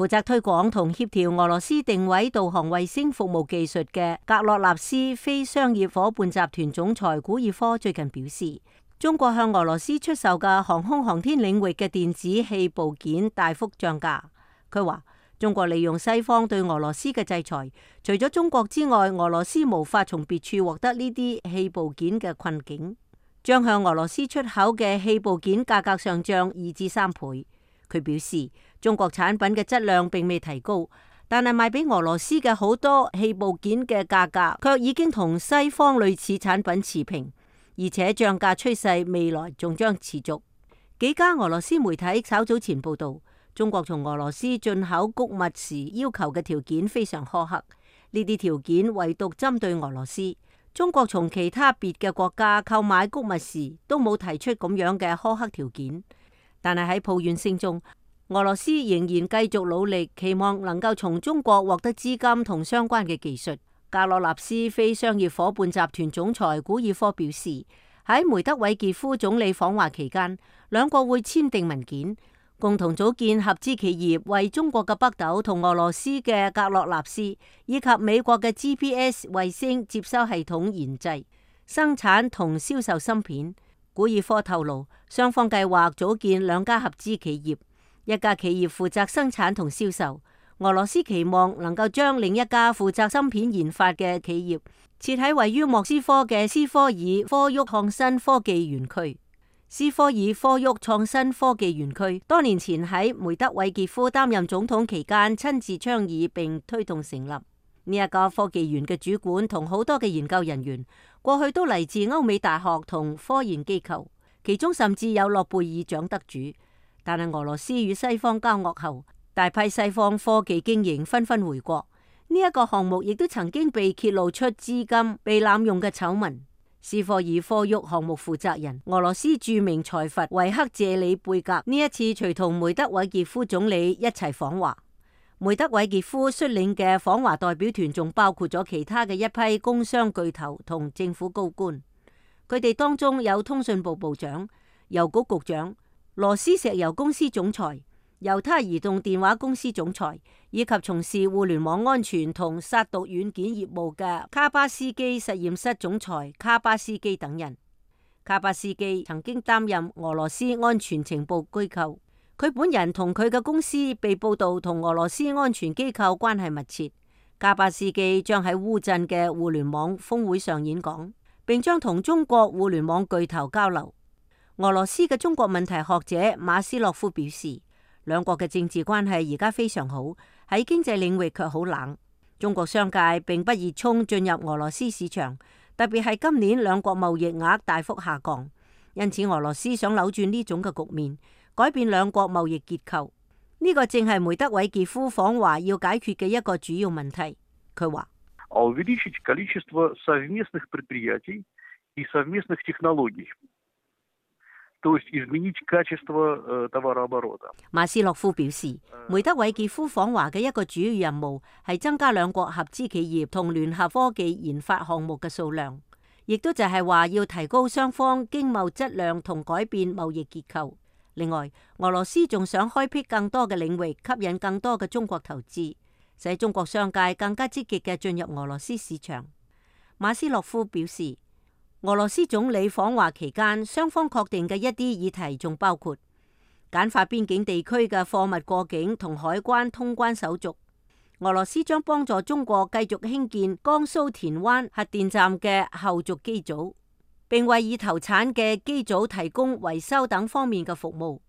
負責推廣同協調俄羅斯定位導航衛星服務技術嘅格洛納斯非商業夥伴集團總裁古爾科最近表示，中國向俄羅斯出售嘅航空航天領域嘅電子器部件大幅漲價。佢話，中國利用西方對俄羅斯嘅制裁，除咗中國之外，俄羅斯無法從別處獲得呢啲器部件嘅困境，將向俄羅斯出口嘅器部件價格上漲2至3倍。佢表示，中國產品嘅質量並未提高，但係賣俾俄羅斯嘅好多器部件嘅價格卻已經同西方類似產品持平，而且漲價趨勢未來仲將持續。幾家俄羅斯媒體稍早前報道，中國從俄羅斯進口穀物時要求嘅條件非常苛刻，呢啲條件唯獨針對俄羅斯。中國從其他別嘅國家購買穀物時都冇提出咁樣嘅苛刻條件。但係喺抱怨聲中，俄羅斯仍然繼續努力，期望能夠從中國獲得資金同相關嘅技術。格洛納斯非商業夥伴集團總裁古爾科表示，喺梅德韋傑夫總理訪華期間，兩國會簽訂文件，共同組建合資企業，為中國嘅北斗同俄羅斯嘅格洛納斯以及美國嘅 GPS 衛星接收系統研製、生產同銷售芯片。古爾科透露，雙方計劃組建2家合資企業，一家企業負責生產同銷售。俄羅斯期望能夠將另一家負責芯片研發嘅企業設喺位於莫斯科嘅斯科爾科沃創新科技園區。斯科爾科沃創新科技園區多年前喺梅德韋傑夫擔任總統期間親自倡議並推動成立。呢一個科技園嘅主管同好多嘅研究人員，過去都嚟自歐美大學同科研機構，其中甚至有諾貝爾獎得主。但係俄羅斯與西方交惡後，大批西方科技精英紛紛回國。呢一個項目亦都曾經被揭露出資金被濫用嘅醜聞。斯科爾科沃項目負責人俄羅斯著名財閥維克謝里貝格呢一次隨同梅德韋傑夫總理一齊訪華。梅德韋傑夫率領嘅訪華代表團仲包括咗其他嘅一批工商巨頭同政府高官，佢哋當中有通訊部部長、郵局局長、羅斯石油公司總裁、猶他移動電話公司總裁，以及從事互聯網安全同殺毒軟件業務嘅卡巴斯基實驗室總裁卡巴斯基等人。卡巴斯基曾經擔任俄羅斯安全情報機構。佢本人同佢嘅公司被報道同俄羅斯安全機構關係密切。卡巴斯基將喺烏鎮嘅互聯網峰會上演講，並將同中國互聯網巨頭交流。俄羅斯嘅中國問題學者馬斯洛夫表示，兩國嘅政治關係而家非常好，喺經濟領域卻好冷。中國商界並不熱衷進入俄羅斯市場，特別係今年兩國貿易額大幅下降，因此俄羅斯想扭轉呢種嘅局面，改變兩國貿易結構，呢個正係梅德韋傑夫訪華要解決嘅一個主要問題。佢話：馬斯洛夫表示，梅德韋傑夫訪華嘅一個主要任務係增加兩國合資企業同聯合科技研發項目嘅數量，亦都就係話要提高雙方經貿質量同改變貿易結構。另外，俄羅斯仲想開闢更多嘅領域，吸引更多嘅中國投資，使中國商界更加積極嘅進入俄羅斯市場。馬斯洛夫表示，俄羅斯總理訪華期間，雙方確定嘅一啲議題仲包括簡化邊境地區嘅貨物過境同海關通關手續。俄羅斯將幫助中國繼續興建江蘇田灣核電站嘅後續機組，並為已投產嘅機組提供維修等方面嘅服務。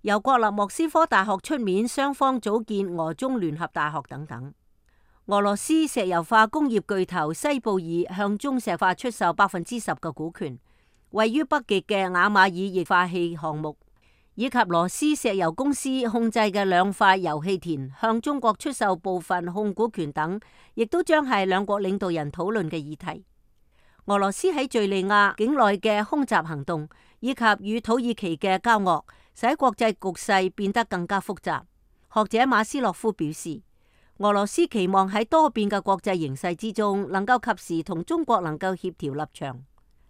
由國立莫斯科大學出面，雙方組建俄中聯合大學等等。俄羅斯石油化工業巨頭西布爾向中石化出售10%嘅股權，位於北極嘅雅馬爾液化氣項目，以及羅斯石油公司控制嘅2塊油氣田向中國出售部分控股權等，亦都將係兩國領導人討論嘅議題。俄羅斯喺敘利亞境內嘅空襲行動，以及與土耳其嘅交惡，使國際局勢變得更加複雜。學者馬斯洛夫表示，俄羅斯期望喺多變嘅國際形勢之中，能夠及時同中國能夠協調立場。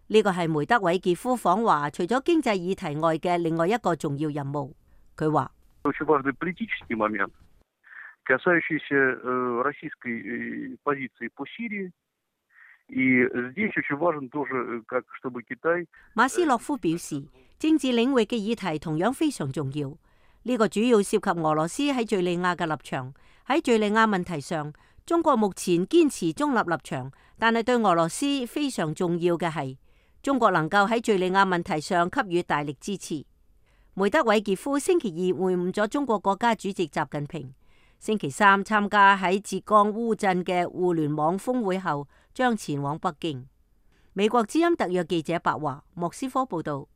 呢個係梅德韋傑夫訪華除咗經濟議題外嘅另外一個重要任務。佢話： касающийся российской позиции по Сирии. И здесь очень важно тоже, как чтобы Китай。馬斯洛夫表示，政治領域嘅議題同樣非常重要。呢個主要涉及俄羅斯喺敘利亞嘅立場。喺敘利亞問題上，中國目前堅持中立立場，但係對俄羅斯非常重要嘅係，中國能夠喺敘利亞問題上給予大力支持。梅德韋傑夫星期二會晤咗中國國家主席習近平，星期三參加喺浙江烏鎮嘅互聯網峰會後，將前往北京。美國之音特約記者白華莫斯科報道。